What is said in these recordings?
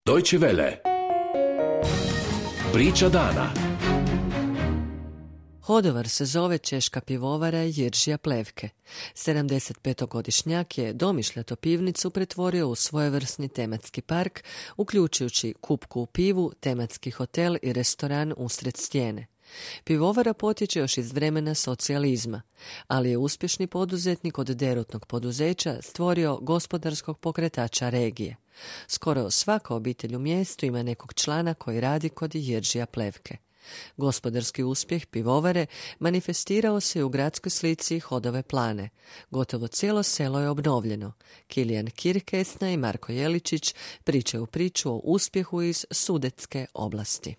Deutsche Welle. Priča dana. Hodovar se zove češka pivovara Jiržija Plevke. 75-godišnjak je domišljato pivnicu pretvorio u svojevrsni tematski park, uključujući kupku u pivu, tematski hotel i restoran usred stijene. Pivovara potječe još iz vremena socijalizma, ali je uspješni poduzetnik od derutnog poduzeća stvorio gospodarskog pokretača regije. Skoro svaka obitelj u mjestu ima nekog člana koji radi kod Jiržija Plevke. Gospodarski uspjeh pivovare manifestirao se u gradskoj slici Hodove plane. Gotovo cijelo selo je obnovljeno. Kilijan Kirkesna i Marko Jeličić pričaju priču o uspjehu iz Sudetske oblasti.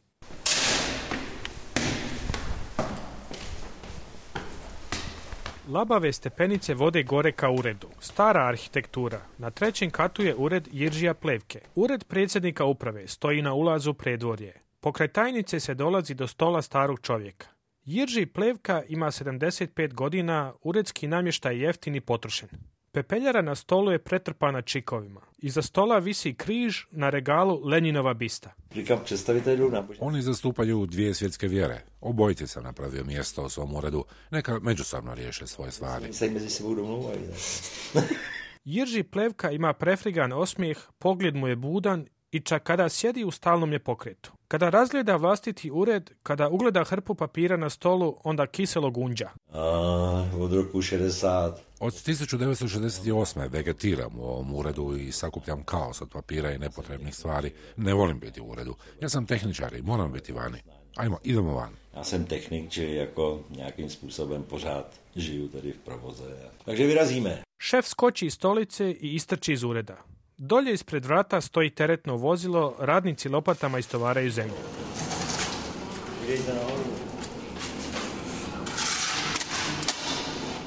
Labave stepenice vode gore ka uredu. Stara arhitektura. Na 3. katu je ured Jiržija Plevke. Ured predsjednika uprave stoji na ulazu predvorje. Pokraj tajnice se dolazi do stola starog čovjeka. Jirži Plevka ima 75 godina, uredski namještaj je jeftin i potrošen. Pepeljara na stolu je pretrpana čikovima. Iza stola visi križ, na regalu Lenjinova bista. Oni zastupaju 2 svjetske vjere. Obojice sam napravio mjesto u svom uredu. Neka međusobno riješe svoje stvari. Jirži Plevka ima prefrigan osmijeh, pogled mu je budan i čak kada sjedi u stalnom je pokretu. Kada razgleda vlastiti ured, kada ugleda hrpu papira na stolu, onda kiselo gunđa. Od roku 60. Od 1968. vegetiram u ovom uredu i sakupljam kaos od papira i nepotrebnih stvari. Ne volim biti u uredu. Ja sam tehničar i moram biti vani. Ajmo, idemo van. Já jsem technik, či jako nějakým způsobem pořád žiju tady v provoze. Takže vyrazíme. Šef skoči iz stolice i istrči iz ureda. Dolje ispred vrata stoji teretno vozilo, radnici lopatama istovaraju zemlju.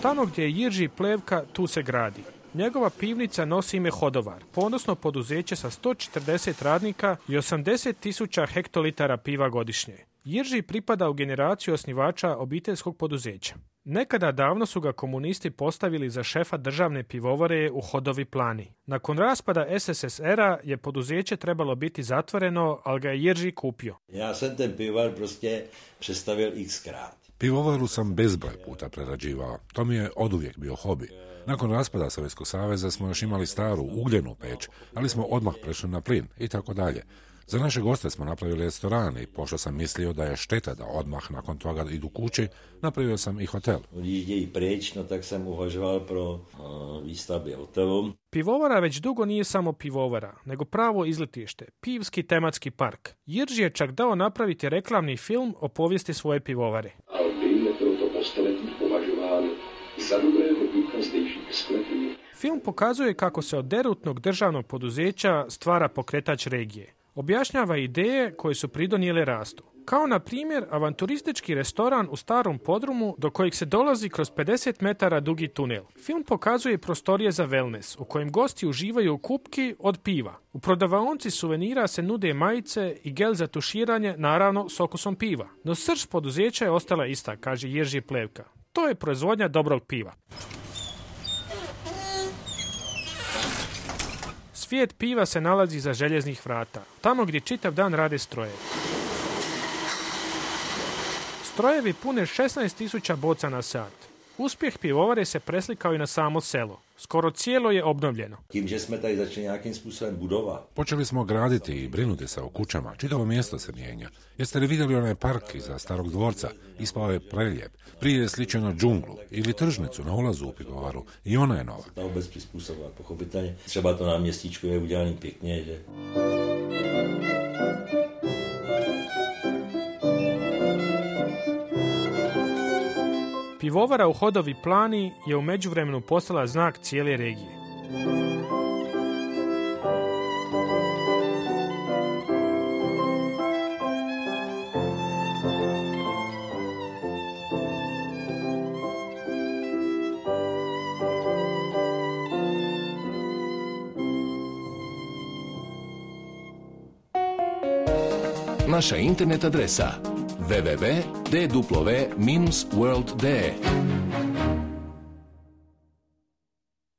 Tamo gdje je Jirži Plevka, tu se gradi. Njegova pivnica nosi ime Hodovar, ponosno poduzeće sa 140 radnika i 80.000 hektolitara piva godišnje. Jirži pripada u generaciju osnivača obiteljskog poduzeća. Nekada davno su ga komunisti postavili za šefa državne pivovare u Hodovi plani. Nakon raspada SSSR-a je poduzeće trebalo biti zatvoreno, ali ga je Jirži kupio. Ja sam ten pivovar prostě přestavil x-krát. Pivovaru sam bezbroj puta prerađivao. To mi je oduvijek bio hobi. Nakon raspada Sovjetskog saveza smo još imali staru ugljenu peć, ali smo odmah prešli na plin i tako dalje. Za naše goste smo napravili restoran i pošto sam mislio da je šteta da odmah nakon toga idu kući, napravio sam i hotel. Odjíždějí preč, no tak sam uvažoval pro výstavbě hotelu. Pivovara već dugo nije samo pivovara, nego pravo izletište, pivski tematski park. Jirži je čak dao napraviti reklamni film o povijesti svoje pivovare. Albin je proto po stoletích považován za dobrého ducha zdejších sklepů. Film pokazuje kako se od derutnog državnog poduzeća stvara pokretač regije. Objašnjava ideje koje su pridonijele rastu. Kao na primjer avanturistički restoran u starom podrumu do kojeg se dolazi kroz 50 metara dugi tunel. Film pokazuje prostorije za wellness u kojem gosti uživaju u kupki od piva. U prodavaonici suvenira se nude majice i gel za tuširanje, naravno s okusom piva. No srž poduzeća je ostala ista, kaže Jirži Plevka. To je proizvodnja dobrog piva. Svijet piva se nalazi iza željeznih vrata, tamo gdje čitav dan rade strojevi. Strojevi pune 16.000 boca na sat. Uspjeh pivovare se preslikao i na samo selo. Skoro cijelo je obnovljeno. Tím, že jsme tady začali nějakým způsobem budovat. Počeli smo graditi i brinuti se o kućama. Čitavo mjesto se mijenja. Jeste li vidjeli onaj park iza starog dvorca? Ispao je prelijep. Prije je sličio na džunglu ili tržnicu na ulazu u pivovaru. I ona je nova. Ta obec přizpůsobila, pochopitelně. Třeba to náměstíčko je udělaný pěkně, že... Pivovara u Hodovi plani je u međuvremenu postala znak cijele regije. Naša internet adresa www.dw-world.de